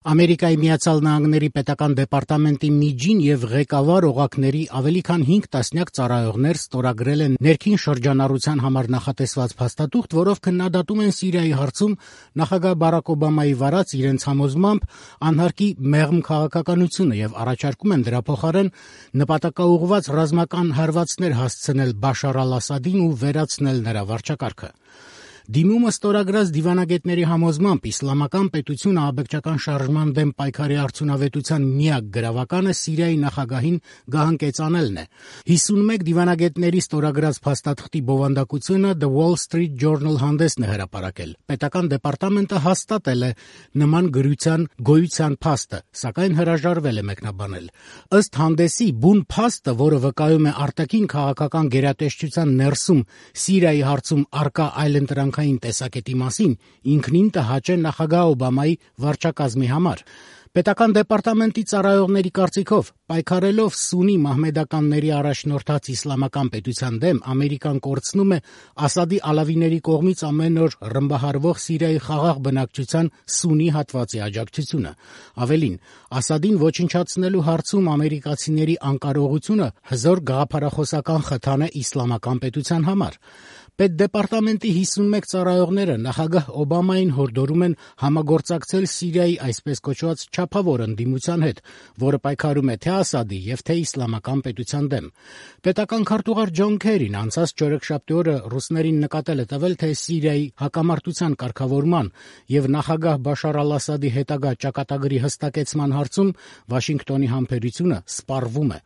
Ամերիկայի Միացյալ Նահանգների պետական դեպարտամենտի միջին եւ ղեկավար օղակների ավելի քան 5 տասնյակ ծառայողներ ստորագրել են ներքին շրջանառության համար նախատեսված փաստաթուղթ, որով քննադատում են Սիրիայի հարցում նախագահ Բարաք Օբամայի վարած իրենց համոզմամբ անհարկի մեղմ քաղաքականությունը եւ առաջարկում են դրա փոխարեն նպատակաուղղված ռազմական հարվածներ հասցնել Բաշար al-Ասադին ու վերացնել նրա վարչակարգը։ Դիմումը ստորագրած դիվանագետների համոզմամբ իսլամական պետությունը աբեկչական շարժման դեմ պայքարի արդյունավետության միակ գրավականը Սիրիայի նախագահին գահանկեցանելն է։ 51 դիվանագետների ստորագրած փաստաթղթի բովանդակությունը The Wall Street Journal հանդեսն է հրապարակել։ Պետական դեպարտամենտը հաստատել է նման գրության գոյության փաստը, սակայն հրաժարվել է մեկնաբանել։ Ըստ հանդեսի, բուն փաստը, որը վկայում է արտաքին քաղաքական գերատեսչության ներսում Սիրիայի հարցում առկա այլընտրանքային տեսակետի մասին, ինքնին տհաճ է նախագահ Օբամայի վարչակազմի համար։ Պետական դեպարտամենտի ծառայողների կարծիքով, պայքարելով սուննի մահմեդականների առաջնորդած իսլամական պետության դեմ, Ամերիկան կորցնում է Ասադի ալավիների կողմից ամեն օր ռմբահարվող Սիրիայի խաղաղ բնակչության սուննի հատվածի աջակցությունը։ Ավելին, Ասադին ոչնչացնելու հարցում ամերիկացիների անկարողությունը հզոր գաղափարախոսական խթան է իսլամական պետության համար։ Պետդեպարտամենտի 51 ծառայողները նախագահ Օբամային հորդորում են համագործակցել Սիրիայի այսպես կոչված չափավոր ընդդիմության հետ, որը պայքարում է թե Ասադի եւ թե իսլամական պետության դեմ։ Պետական քարտուղար Ջոն Քերին անցած չորեքշաբթի օրը ռուսներին նկատել է տվել, թե Սիրիայի հակամարտության կարգավորման եւ նախագահ Բաշար al-Ասադի հետագա ճակատագրի հստակեցման հարցում Վաշինգտոնի համբերությունը սպառվում է։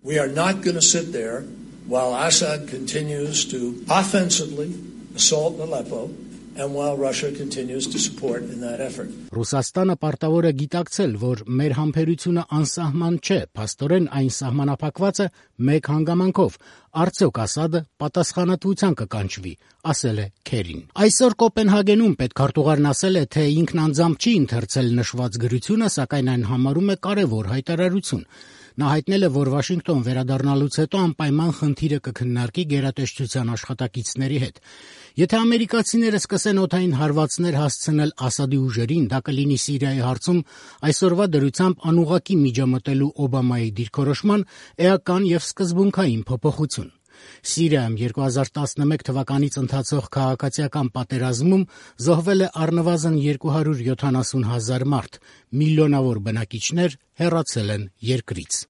While Assad continues to offensively assault Aleppo and while Russia continues to support in that effort. Ռուսաստանը պարտավոր է գիտակցել, որ մեր համբերությունը անսահման չէ, փաստորեն այն սահմանափակված է մեկ հանգամանքով. արդյոք Ասադը պատասխանատվության կկանչվի, ասել է Քերին։ Այսօր Կոպենհագենում պետքարտուղարն ասել է, թե ինքն անձամբ չի ընթերցել նշված գրությունը, սակայն այն համարում է կարևոր հայտարարություն։ Նա հայտնել է, որ Վաշինգտոն վերադառնալուց հետո անպայման խնդիրը կքննարկի գերատեսչության աշխատակիցների հետ։ Եթե ամերիկացիները սկսեն օդային հարվածներ հասցնել Ասադի ուժերին, դա կլինի Սիրիայի հարցում այսօրվա դրությամբ անուղղակի միջամտելու Օբամայի դիրքորոշման էական եւ սկզբունքային փոփոխություն։ Սիրիայում 2011 թվականից ընթացող քաղաքացիական պատերազմում զոհվել է առնվազն 270,000 մարդ, միլիոնավոր բնակիչներ հեռացել են երկրից։